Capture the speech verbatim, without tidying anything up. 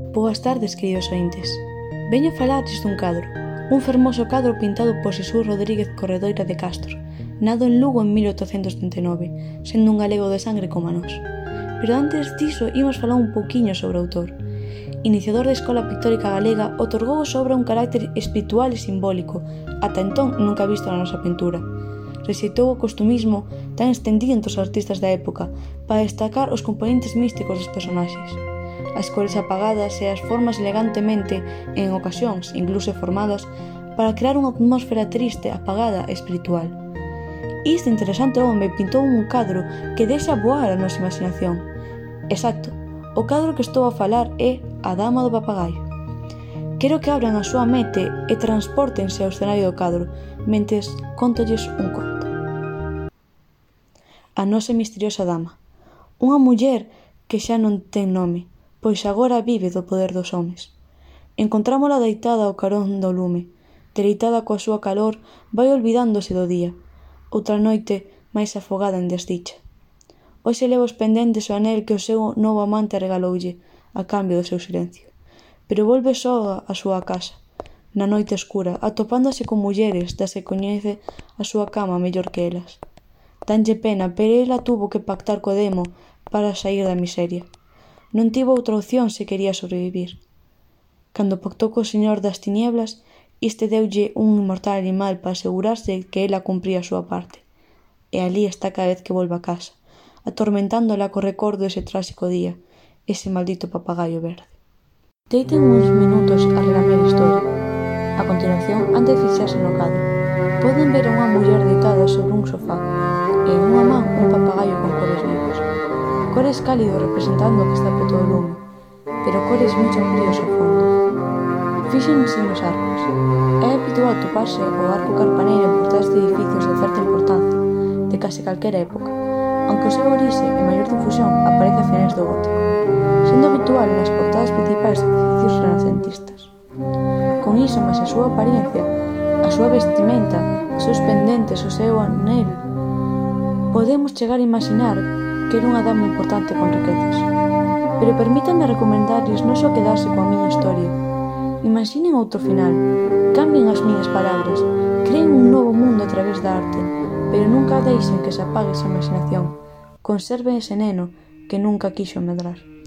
Boas tardes, queridos ointes. Veño falarlles dun cadro, un fermoso cadro pintado por Xesús Rodríguez Corredoira de Castro, nado en Lugo en mil oitocentos trinta e nove, sendo un galego de sangre como nós. Pero antes diso, imos falar un pouquiño sobre o autor. Iniciador da Escola Pictórica Galega, otorgou a obra un carácter espiritual e simbólico, ata entón nunca visto na nosa pintura. Rexeitou o costumismo tan estendido entre os artistas da época para destacar os componentes místicos dos personaxes. As cores apagadas e as formas elegantemente, en ocasións incluso formadas, para crear unha atmósfera triste, apagada e espiritual. Este interesante home pintou un cadro que deixa voar a nosa imaginación. Exacto, o cadro que estou a falar é A Dama do Papagaio. Quero que abran a súa mente e transpórtense ao escenario do cadro, mentes contolles un conto. A nosa misteriosa dama. Unha muller que xa non ten nome, pois agora vive do poder dos homes. Encontrámola deitada ao carón do lume, deleitada coa súa calor, vai olvidándose do día. Outra noite máis afogada en desdicha. Hoxe leva os pendentes o anel que o seu novo amante regaloulle, a cambio do seu silencio. Pero volve só á súa casa, na noite escura, atopándose con mulleres das que coñece a súa cama mellor que elas. Danlle pena, pero ela tuvo que pactar co demo para saír da miseria. Non tivo outra opción se quería sobrevivir. Cando pactou co señor das tinieblas, este deulle un inmortal animal para asegurarse que ela cumpría a súa parte. E alí está cada vez que volve a casa, atormentándola co recordo dese tráxico día, ese maldito papagaio verde. Deiten uns minutos a relamer a historia. A continuación, antes de fixarse no cadro, poden ver a unha muller deitada sobre un sofá e en unha man un papagaio con cores vivos. Cores cálidos representando que está preto do lume, pero cores moi sombríos ao fondo. Fíxense nos arcos. É habitual toparse o arco carpaneiro en portadas de edificios de certa importancia, de case calquera época, aunque o seu orixe e maior difusión aparece a finais do gótico, sendo habitual nas portadas principais de edificios renacentistas. Con iso, máis a súa apariencia, a súa vestimenta, os seus pendentes, o seu anel, podemos chegar a imaginar que era unha dama importante con riquezas. Pero permítanme recomendarlles non só quedarse coa miña historia. Imaginen outro final, cambien as miñas palabras, creen un novo mundo a través da arte, pero nunca deixen que se apague esa imaginación. Conserven ese neno que nunca quixo medrar.